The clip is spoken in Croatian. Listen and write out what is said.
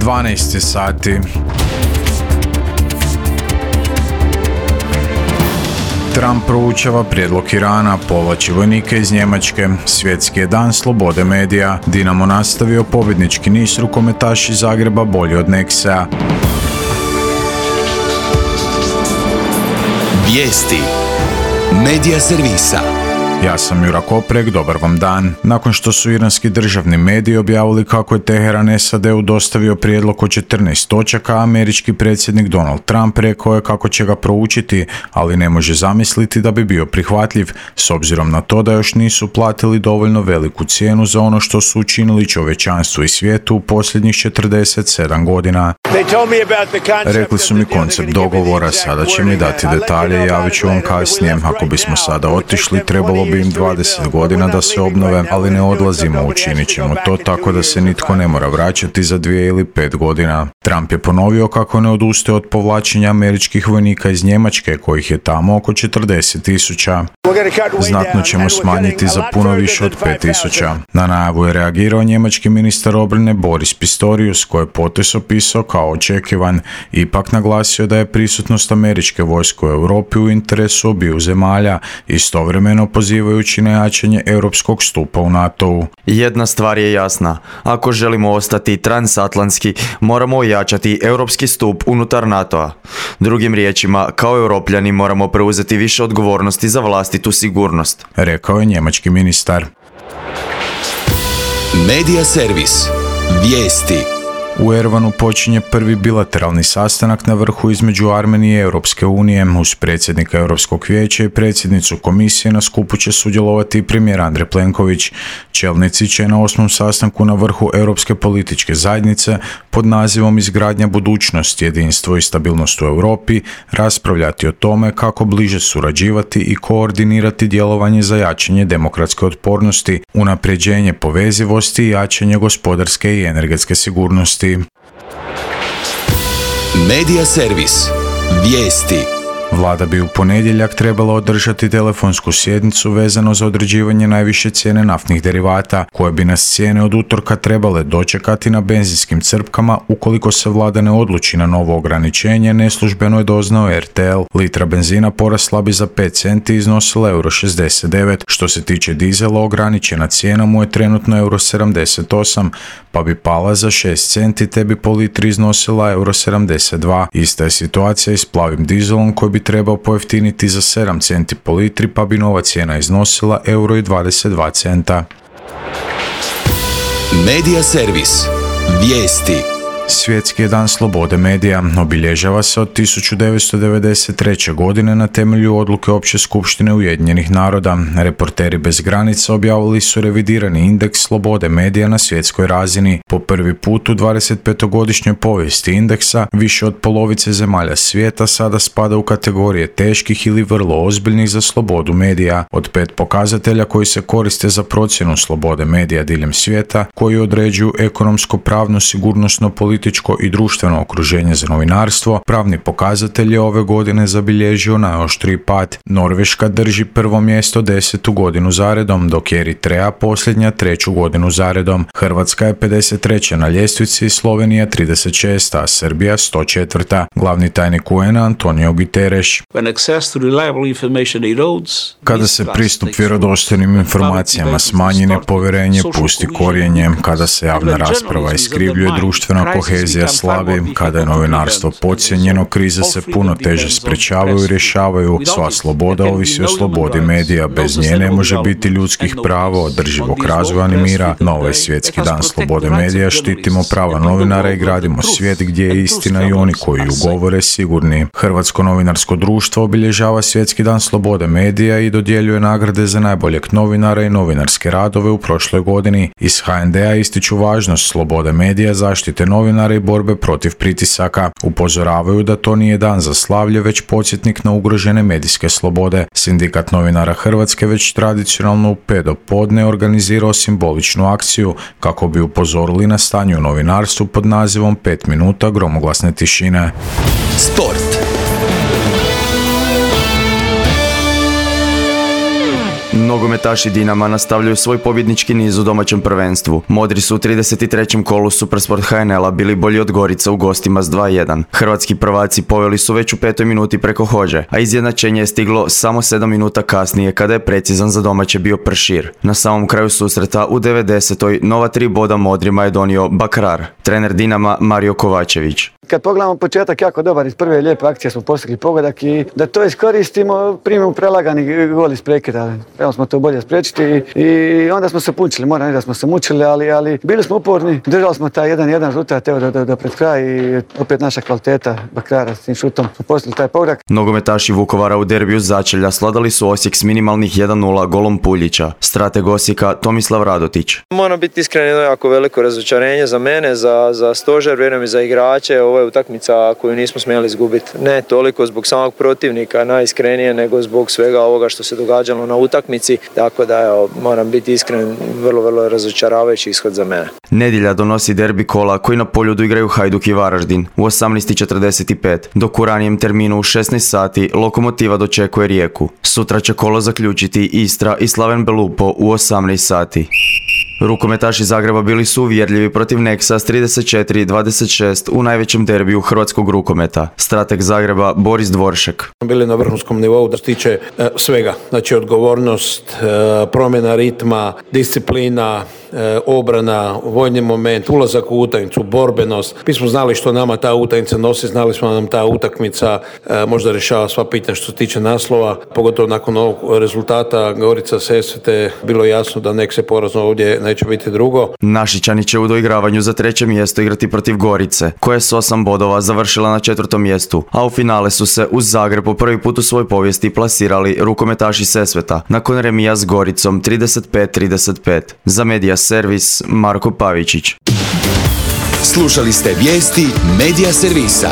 12 sati. Trump proučava prijedlog Irana, povlači vojnike iz Njemačke, svjetski je dan slobode medija, Dinamo nastavio pobjednički niz, rukometaši Zagreba bolji od Nexea. Vijesti Medija servisa. Ja sam Jura Koprek, dobar vam dan. Nakon što su iranski državni mediji objavili kako je Teheran SAD-u dostavio prijedlog od 14 točaka, američki predsjednik Donald Trump rekao je kako će ga proučiti, ali ne može zamisliti da bi bio prihvatljiv, s obzirom na to da još nisu platili dovoljno veliku cijenu za ono što su učinili čovječanstvu i svijetu u posljednjih 47 godina. Rekli su mi koncept dogovora, sada će mi dati detalje i javit ću vam kasnije. Ako bismo sada otišli, trebalo bi im 20 godina da se obnove, ali ne odlazimo, učinit ćemo to tako da se nitko ne mora vraćati za 2 ili 5 godina. Trump je ponovio kako ne odustaje od povlačenja američkih vojnika iz Njemačke, kojih je tamo oko 40,000. Znatno ćemo smanjiti za puno više od 5,000. Na najavu je reagirao njemački ministar obrane Boris Pistorius, koji je potez opisao kao očekivan, ipak naglasio da je prisutnost američke vojske u Europi u interesu obiju zemalja, istovremeno pozivajući na jačanje europskog stupa u NATO-u. Jedna stvar je jasna, ako želimo ostati transatlantski, moramo ojačati europski stup unutar NATO-a. Drugim riječima, kao europljani moramo preuzeti više odgovornosti za vlastitu sigurnost, rekao je njemački ministar. Medija servis. Vijesti. U Erevanu počinje prvi bilateralni sastanak na vrhu između Armenije i Europske unije. Uz predsjednika Europskog vijeća i predsjednicu komisije na skupu će sudjelovati i premijer Andrej Plenković. Čelnici će na 8. sastanku na vrhu Europske političke zajednice pod nazivom Izgradnja budućnosti, jedinstvo i stabilnost u Europi raspravljati o tome kako bliže surađivati i koordinirati djelovanje za jačanje demokratske otpornosti, unapređenje povezivosti i jačanje gospodarske i energetske sigurnosti. Medija servis. Vijesti. Vlada bi u ponedjeljak trebala održati telefonsku sjednicu vezano za određivanje najviše cijene naftnih derivata, koje bi nas cijene od utorka trebale dočekati na benzinskim crpkama ukoliko se vlada ne odluči na novo ograničenje, neslužbeno je doznao RTL. Litra benzina porasla bi za 5 centi i iznosila €69. Što se tiče dizela, ograničena cijena mu je trenutno €78, pa bi pala za 6 centi te bi po litri iznosila €72. Ista je situacija i s plavim dizelom koji bi trebao pojeftiniti za 7 centi po litri, pa bi nova cijena iznosila €22. Medija servis. Vijesti. Svjetski je dan slobode medija, obilježava se od 1993. godine na temelju odluke Opće skupštine Ujedinjenih naroda. Reporteri bez granica objavili su revidirani indeks slobode medija na svjetskoj razini. Po prvi put u 25-godišnjoj povijesti indeksa, više od polovice zemalja svijeta sada spada u kategorije teških ili vrlo ozbiljnih za slobodu medija. Od 5 pokazatelja koji se koriste za procjenu slobode medija diljem svijeta, koji određuju ekonomsko, pravno, sigurnosno, političko i društveno okruženje za novinarstvo, pravni pokazatelj je ove godine zabilježio najoštriji pad. Norveška drži prvo mjesto 10. godinu zaredom, dok je Eritreja posljednja 3. godinu zaredom. Hrvatska je 53. na ljestvici, Slovenija 36. a Srbija 104. Glavni tajnik UN-a Antonio Guterres. Kada se pristup vjerodostojnim informacijama smanji, nepovjerenje pusti korijenje, kada se javna rasprava iskrivljuje, društvena kohezija slabi, kada je novinarstvo podcijenjeno, krize se puno teže sprečavaju i rješavaju. Sva sloboda ovisi o slobodi medija, bez nje ne može biti ljudskih prava, održivog razvoja ni mira. Na ovaj svjetski dan slobode medija štitimo prava novinara i gradimo svijet gdje je istina i oni koji ju govore sigurni. Hrvatsko novinarsko društvo obilježava svjetski dan slobode medija i dodjeljuje nagrade za najboljeg novinara i novinarske radove u prošloj godini. Iz HND-a ističu važnost slobode medija, zaštite novinara i borbe protiv pritisaka. Upozoravaju da to nije dan za slavlje, već podsjetnik na ugrožene medijske slobode. Sindikat novinara Hrvatske već tradicionalno u 5 do podne organizirao simboličnu akciju kako bi upozorili na stanje u novinarstvu pod nazivom 5 minuta gromoglasne tišine. Sport. Nogometaši Dinama nastavljaju svoj pobjednički niz u domaćem prvenstvu. Modri su u 33. kolu Supersport HNL-a bili bolji od Gorica u gostima s 2:1. Hrvatski prvaci poveli su već u 5. minuti preko Hođe, a izjednačenje je stiglo samo 7 minuta kasnije kada je precizan za domaće bio Pršir. Na samom kraju susreta u 90. nova 3 boda Modrima je donio Bakrar, trener Dinama Mario Kovačević. Kad pogledamo početak jako dobar, iz prve lijepe akcije smo postigli pogodak i da to iskoristimo, primimo prelagani gol iz prekida. Evo smo to bolje spriječiti i onda smo se pučili, moram reći da smo se mučili, ali bili smo uporni, držali smo taj 1-1 rezultat evo do pred kraj i opet naša kvaliteta Bakrara s tim šutom smo postigli taj pogodak. Nogometaši Vukovara u derbiju začelja sladali su Osijek s minimalnih 1:0 golom Puljića. Strateg Osijeka Tomislav Radotić. Moram biti iskren, jedno jako veliko razočarenje za mene, za stožer, vjerujem i za igrače. Ovo je utakmica koju nismo smjeli izgubiti. Ne toliko zbog samog protivnika, najiskrenije, nego zbog svega ovoga što se događalo na utakmici. Tako da, evo, moram biti iskren, vrlo, vrlo razočaravajući ishod za mene. Nedjelja donosi derbi kola koji na Poljudu igraju Hajduk i Varaždin u 18:45, dok u ranijem terminu u 16 sati Lokomotiva dočekuje Rijeku. Sutra će kolo zaključiti Istra i Slaven Belupo u 18 sati. Rukometaši Zagreba bili su uvjerljivi protiv Neksa s 34-26 u najvećem derbiju hrvatskog rukometa. Strateg Zagreba Boris Dvoršek. Bili na vrhunskom nivou da se tiče svega. Znači odgovornost, promjena ritma, disciplina, obrana, vojni moment, ulazak u utakmicu, borbenost. Mi smo znali što nama ta utakmica nosi, znali smo da nam ta utakmica možda rješava sva pitanja što se tiče naslova. Pogotovo nakon ovog rezultata Gorica Sesvete bilo jasno da nek se porazno ovdje neće biti drugo. Našičani će u doigravanju za 3. mjesto igrati protiv Gorice, koja je s 8 bodova završila na 4. mjestu, a u finale su se uz Zagreb po prvi put u svojoj povijesti plasirali rukometaši Sesveta nakon remija s Goricom 35-35. Za Medija Servis Marko Pavičić. Slušali ste vijesti Medija Servisa.